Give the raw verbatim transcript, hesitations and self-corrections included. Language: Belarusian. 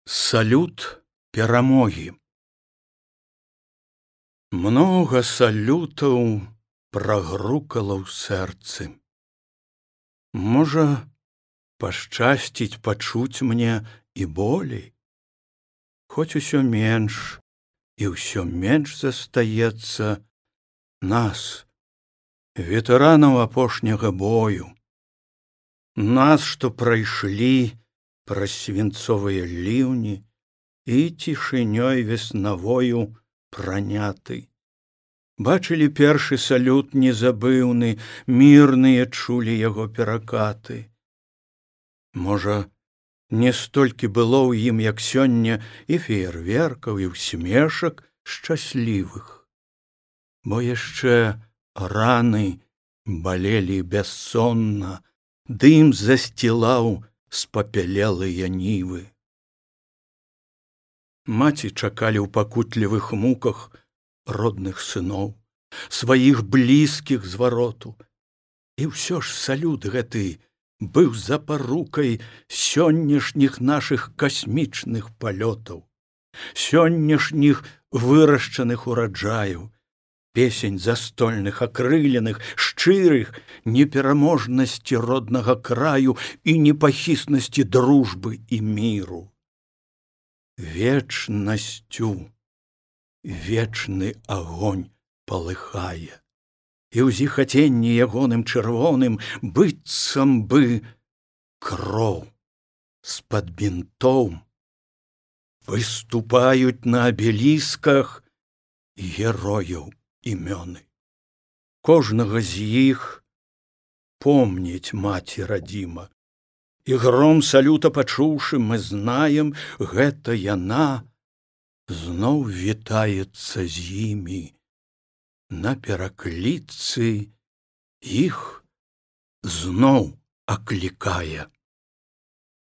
Салют перамогі. Многа салютаў прагрукала ў сэрцы. Можа, пашчасціць пачуць мне і болей, хоць усё менш і ўсё менш застаецца нас, ветэранаў апошняга бою, нас, што прайшлі праз свінцовыя ліўні і цішынёй веснавою праняты. Бачылі першы салют незабыўны, мірныя чулі яго перакаты. Можа, не столькі было ў ім, як сёння, і феерверкаў, і ўсмешак шчаслівых, бо яшчэ раны балелі бяссонна, дым засцілаў спапялелыя нівы. Маці чакалі ў пакутлівых муках родных сыноў, сваіх блізкіх звароту. І ўсё ж салют гэты быў запарукай сённяшніх нашых касмічных палётаў, сённяшніх вырашчаных ураджаяў, песень застольных, акрыленых, шчырых, непераможнасці роднага краю і непахіснасці дружбы і міру. Вечнасцю вечны агонь палыхае, і ў зіхаценні ягоным чырвоным быццам бы кроў з-пад бінтоў выступаюць на абелісках герояў імёны. Кожнага з іх помніць маці радзіма, і гром салюта пачуўшы, мы знаем, гэта яна зноў вітаецца з імі, на перакліцы іх зноў аклікае.